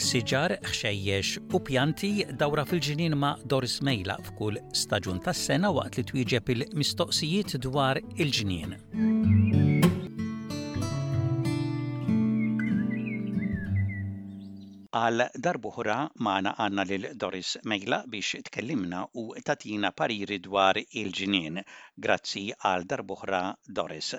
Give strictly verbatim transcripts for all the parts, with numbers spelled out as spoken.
siġar, ħxejjex u pjanti dawra fil-ġnien ma' Doris Mejlaq f'kull staġun tas-sena waqt li twieġeb il-mistoqsijiet dwar il-ġnien. Għal darb'oħra magħna għandna lil Doris Mejlaq biex tkellimna u tagħtina pariri dwar il-ġnien. Grazzi għal darb'oħra Doris.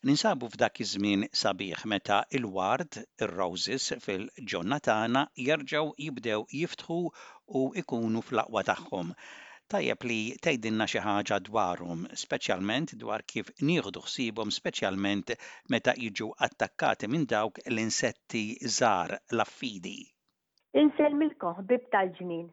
Ninsabu f'dak iż-żmien sabiħ meta il-ward, ir-roses fil-ġonna tagħna jerġgħu jibdew jiftħu u ikunu fl-aqwa tagħhom. Tajjeb li tgħidilna xi ħaġa dwarhom, speċjalment dwar kif nieħdu ħsiebhom speċjalment meta jiġu attakkati minn dawk l-insetti żgħar l-affidi. Insellmilkom ħbieb tal-ġnien.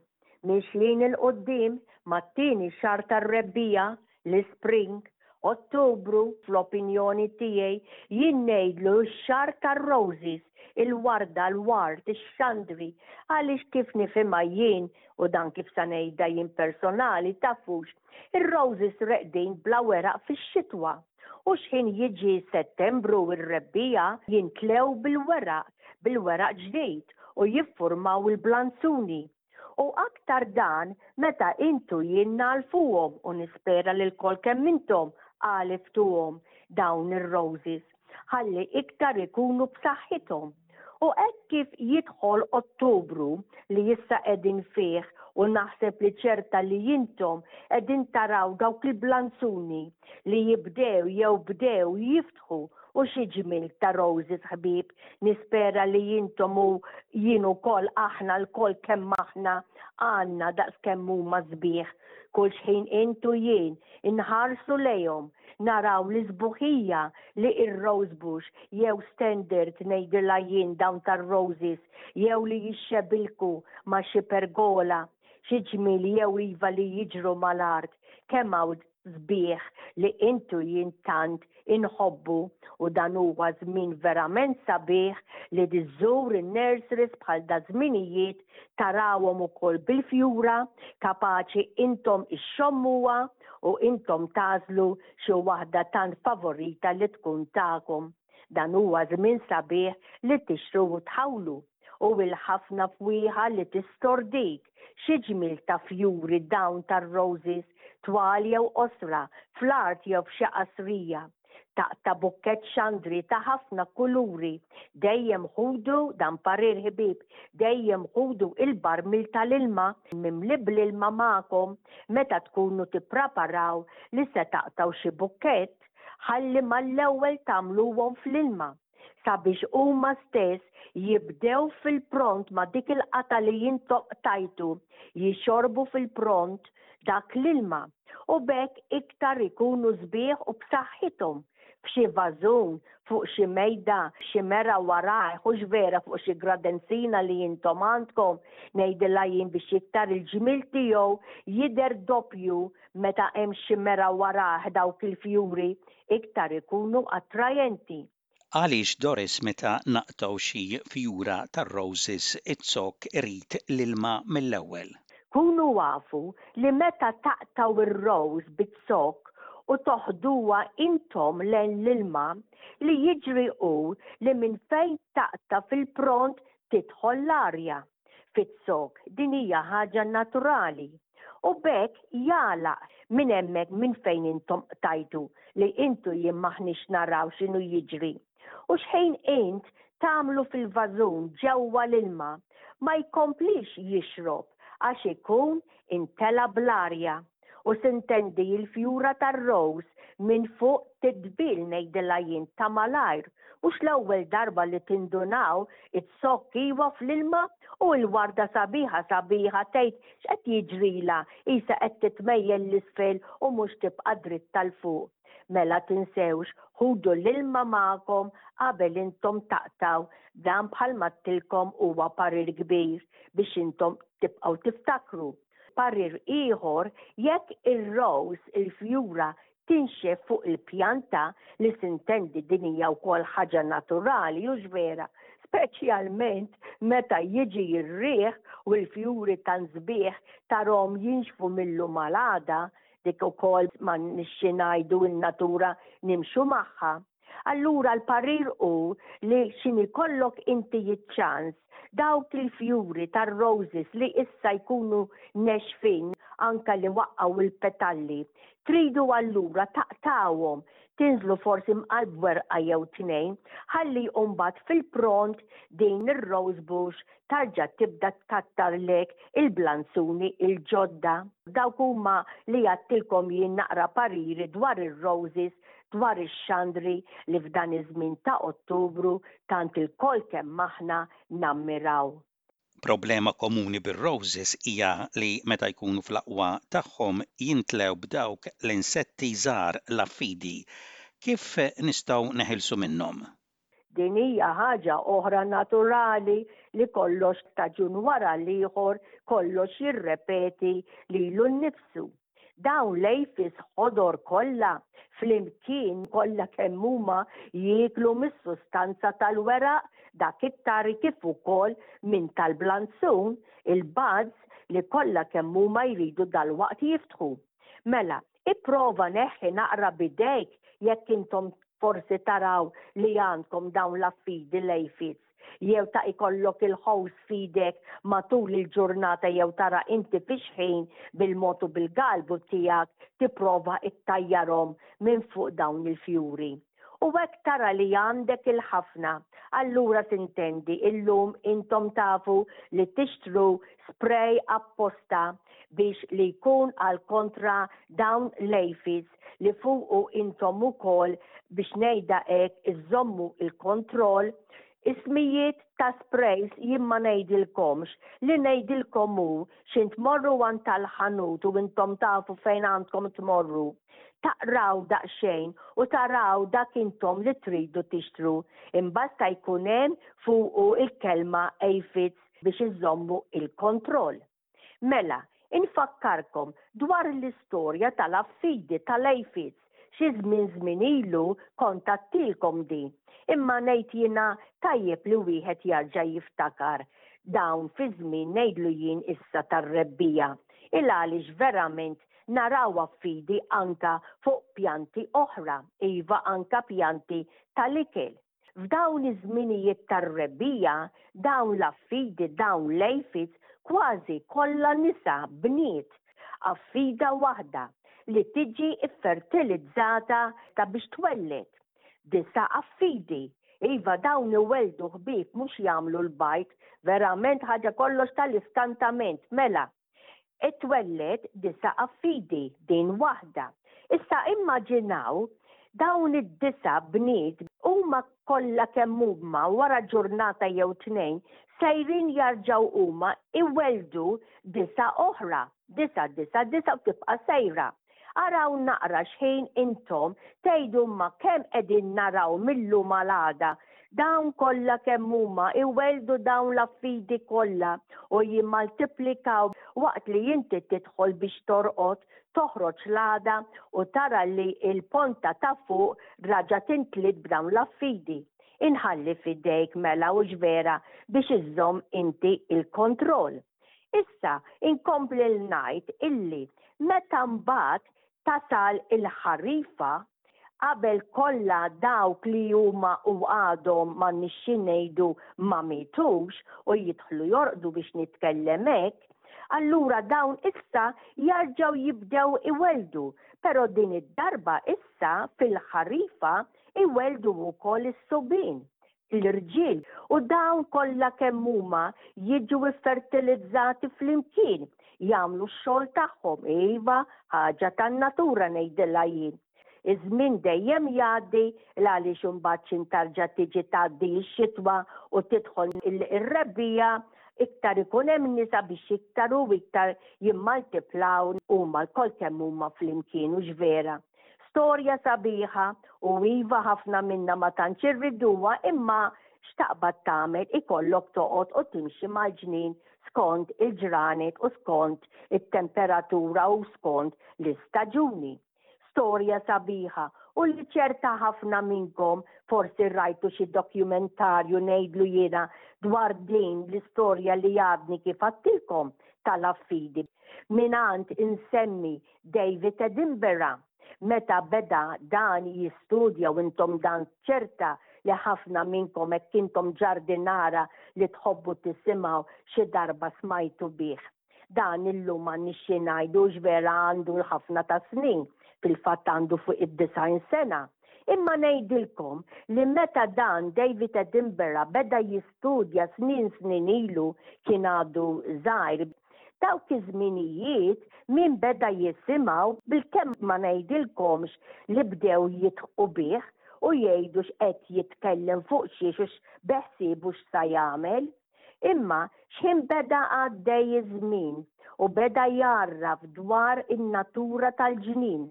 Mixjin 'il quddiem mat-tieni xahar tar-rebbiegħa, l-spring, Ottubru, fl-opinjoni tiegħi, jien ngħidlu x-xahar tar-roses, il-warda, l-ward, ix-xandri, għaliex kif nifhimha jien u dan kif sa ngħidha jien personali tafux, ir-roses reqdin bla weraq fix-xitwa. U x'ħin jiġi Settembru ir-rebbiegħa jintlew bil-weraq, bil-weraq ġdid u jiffurmaw il-blanzuni. U aktar dan meta intu jien nagħlfuhom u nispera li lkoll kemm intom għaliftuhom dawn ir-roses ħalli iktar ikunu b'saħħithom. U hekk kif jidħol Ottubru li issa qegħdin fih u naħseb li ċerta li intom qegħdin taraw dawk il-blanzuni li jibdew jew bdew jiftħu u xi ġmiel ta' roses ħbieb, nispera li intom u jien ukoll aħna lkoll kemm aħna għandna daqs kemm huma sbieħ. Kull xħin intu jien inħarsu lejhom naraw l-isbuħija li ir-rose bush jew standard ngħidilha jien dawn tar-roses jew li jixxebilku ma' xi pergola, xi ġmiel jew iva li jiġru mal-art, kemm hawn sbieħ li intu jien tant inħobbu u dan huwa żmien verament sabiħ li tiżżur in-nurseries bħal da żminijiet tarawhom ukoll bil-fjura kapaċi intom ixxommuha u intom tagħżlu xi waħda tant favorita li tkun tagħkom. Dan huwa żmien sabiħ li tixtru u tħawlu u il-ħafna fwieħa li tistordik xi ġmiel ta' fjuri dawn tar-roses twal jew qosra fl-art jew f'xi qasrija. Taqta' bukkett xandri ta' ħafna kuluri, dejjem ħudu dan parir ħbieb, dejjem ħudu il-barmil tal-ilma mimli bl-ilma magħkom meta tkunu tippreparaw li se taqtaw xi bukkett, ħalli mal-ewwel tagħmluhom fl-ilma sabiex huma stess jibdew fil-pront ma' dik il-qata li intom qtajtu, jixorbu fil-pront dak l-ilma u b'hekk iktar ikunu sbieħ u b'saħħithom f'xi vażun, fuq xi mejda, xi mera warajh, hux vera fuq xi gradenzina li intom għandkom, ngħidilha jien biex iktar il-ġmiel tiegħu jidher doppju meta hemm xi mera warajh dawk il-fjuri iktar ikunu attrajenti. Għaliex Doris meta naqtgħu xi fjura tar-roses iz-zokk irid l-ilma mill-ewwel? Kunu afu li meta taqtgħu ir-rose biz-zokk u toħduha intom lejn l-ilma, li jiġri hu li minn fejn taqta' fil-pront tidħol l-arja fiz-zokk. Din hija ħaġa naturali. U b'hekk jagħlaq minn hemmhekk minn fejn intom qtajtu li intu jien m'aħniex naraw x'inhu jiġri. U x'ħin int tagħmlu fil-vażun ġewwa l-ilma ma jkomplix jixrob għax ikun intela bl-arja. U sintendi il-fjura tar-rose minn fuq tidbil ngħidilha jien ta' malajr, mhux l-ewwel darba li tindunaw iz-zokk iwa fl-ilma u l-warda sabiħa sabiħa tgħid x'qed jiġrilha qisha qed titmejjel l-isfel u mhux tibqa' dritta 'l fuq. Mela tinsewx ħudu l-ilma magħkom qabel intom taqtgħu, dan bħalma għedtilkom huwa parir kbir biex intom tibqgħu tiftakru. Parir ieħor, jekk ir-rose, il-fjura, tinxef fuq il-pjanta, li sintendi din hija wkoll ħaġa naturali, hux vera, speċjalment meta jiġi r-riħ u l-fjuri tant sbieħ tarahom jinxfu mill-lum għal għada, dik ukoll ma nixxi ngħidu n-natura nimxu magħha. Allura l-parir hu li x'ħin ikollok inti ċ-ċans, dawk il-fjuri tar-roses li issa jkunu nexfin, anka li waqqaw il-petalli, tridu allura taqtawhom, tinżlu forsi mqar b'werqa jew tnejn, ħalli mbagħad fil-pront din ir-rose bush tarġa' tibda tkattarlek il-blanzuni il-ġodda. Dawk huma li għedtilkom jien naqra pariri dwar ir-roses, dwar ix-xandri li f'dan iż-żmien ta' Ottubru tant ilkoll kemm aħna nammiraw. Problema komuni bir-roses hija li meta jkunu fl-aqwa tagħhom jintlew b'dawk l-insetti żgħar, l-affidi. Kif nistgħu neħilsu minnhom? Din hija ħaġa oħra naturali li kollox staġun wara l-ieħor kollox jirrepeti lilu nnifsu. Dawn l-aphids ħodor kollha flimkien, kollha kemm huma, jieklu mis-sustanza tal-weraq, dak it-tari, kif ukoll minn tal-blanzun, il-buds li kollha kemm huma jridu dalwaqt jiftħu. Mela, ipprova neħħi naqra bidejk jekk intom forsi taraw li għandkom dawn l-affidi, l-aphids, jew ta' ikollok il-hose f'idek matul il-ġurnata jew tara inti fix-ħin bil-motu bil-galbu tiegħek tipprova ittajjarhom minn fuq dawn il-fjuri. U hekk tara li għandek il-ħafna, allura tintendi illum intom tafu li tixtru spray apposta biex li jkun għal kontra dawn l-aphids, li fuqu intom ukoll, biex ngħidha hekk, iżommu il-kontroll. Ismijiet ta' sprays jien ma ngħidilkomx, li ngħidilkom hu x'ħin tmorru għand tal-ħanut u intom tafu fejn għandkom tmorru. Taqraw daqsxejn u taraw dak intom li tridu tixtru. Imbasta jkun hemm fuqu il-kelma aphids biex iżommu il-kontroll. Mela, infakkarkom dwar l-istorja tal-affidi, tal-aphids. Xi żmien żmien ilu kont għedtilkom din. Imma ngħid jiena tajjeb li wieħed jarġa' jiftakar dawn fi żmien, ngħidlu jien, issa tar-rebbiegħa. Il għaliex verament naraw affidi anka fuq pjanti oħra, iva, anka pjanti tal-ikel. F'dawn iż-żminijiet tar-rebbiegħa, dawn l-affidi, dawn l-aphids, kważi kollha nisa, bniet, affida waħda li tiġi fertilizzata ta' biex twelled disa' affidi. Iva, dawn iweldu, ħbieb, mhux jagħmlu l-bajd, verament ħaġa kollox tal-iskantament. Mela, itwelled disa' affidi, din waħda. Issa immaġinaw dawn id-disa' bniet huma kollha kemm huma wara ġurnata jew tnejn sejrin jarġaw huma iweldu disa' oħra, disa', disa', disa' u tibqa' sejra. Araw naqra xħin intom tgħidu ma kemm qegħdin naraw mil-lum għal dawn kollha kemm huma iweldu dawn l-affidi kollha u jimmaltiplikaw waqt li inti tidħol biex torqod, toħroġ l-għada u tara li il-ponta ta' fuq raġa timtliet b'dawn l-affidi. Inħalli fidejk mela, u vera, biex iżżomm inti il-kontroll. Issa, inkompli l-ngħid illi meta mbagħad tasal il-ħarifa, qabel kollha dawk li huma u għadhom ma nixxi ngħidu ma mitux u jidħlu jorqdu, biex nitkellem hekk, allura dawn issa jarġaw jibdew iweldu, pero din id-darba issa fil-ħarifa iweldu wkoll is-subien, l-irġiel, u dawn kollha kemm huma jiġu fertilizzati flimkien, jagħmlu x-xogħol tagħhom, iva, ħaġa tan-natura ngħidilha jien. Iż-żmien dejjem jgħaddi, għaliex imbagħad x'ħin tarġa' tiġi tgħaddi x-xitwa u tidħol ir-rebbiegħa, iktar ikun hemm nisa biex iktar u iktar jimmaltiplaw huma lkoll kemm huma flimkien, u vera. Storja sabiħa u iva, ħafna minna ma tantx irriduha, imma x'taqbad tagħmel, ikollok toqgħod u timxi mal-ġnien skont il-ġranet u skont it-temperatura u skont l-istaġuni. Storja sabiħa u li ċerta ħafna minnkom forsi rajtu xi dokumentarju, ngħidlu jiena, dwar din l-istorja li għadni kif għedtilkom tal-affidi. Minant insemmi David Attenborough. Meta beda dan jistudja, u intom dan ċerta li ħafna minnkom, hekk intom ġardinara li tħobbu tisimgħu, xi darba smajtu bih. Dan illum ma nixxi ngħidu vera għandu l-ħafna ta' snin, fil-fatt għandu fuq id-disgħin sena. Imma ngħidilkom li meta dan David Attenborough beda jistudja snin snin ilu, kien għadu żgħir. Dawk iż-żminijiet min beda jisimgħu bil-kemm, ma ngħidilkomx li bdew jidħqu bih u jgħidu x'qed jitkellem, fuq xiex u x'beħsiebu x'sa jagħmel. Imma x'ħin beda għaddej iż-żmien u beda jarraf dwar in-natura tal-ġnien,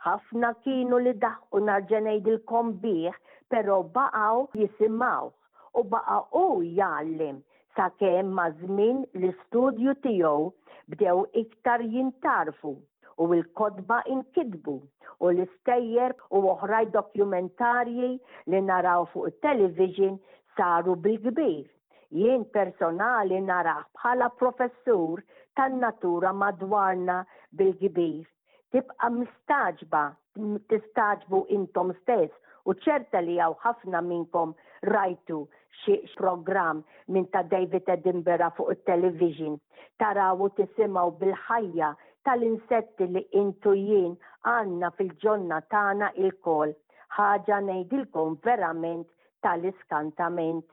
ħafna kienu li daħqu, nerġa' ngħidilkom, bih, però baqgħu jisimgħu u baqa' u jgħallim sakemm maż-żmien l-istudju tiegħu bdew iktar jintgħarfu u l-kotba inkitbu u l-istejjer u oħraj dokumentarji li naraw fuq il-television saru bil-kbir. Jien personali narah bħala professur tan-natura madwarna bil-kbir. Tibqa mistagħġba, tistagħġbu intom stess, u ċerta li hawn ħafna minnkom rajtu xi program minn ta' David Attenborough fuq il-television. Taraw u tisimgħu bil-ħajja tal-insetti li intu jien għandna fil-ġonna tagħna ilkoll. Ħaġa ngħidilkom verament tal-iskantament.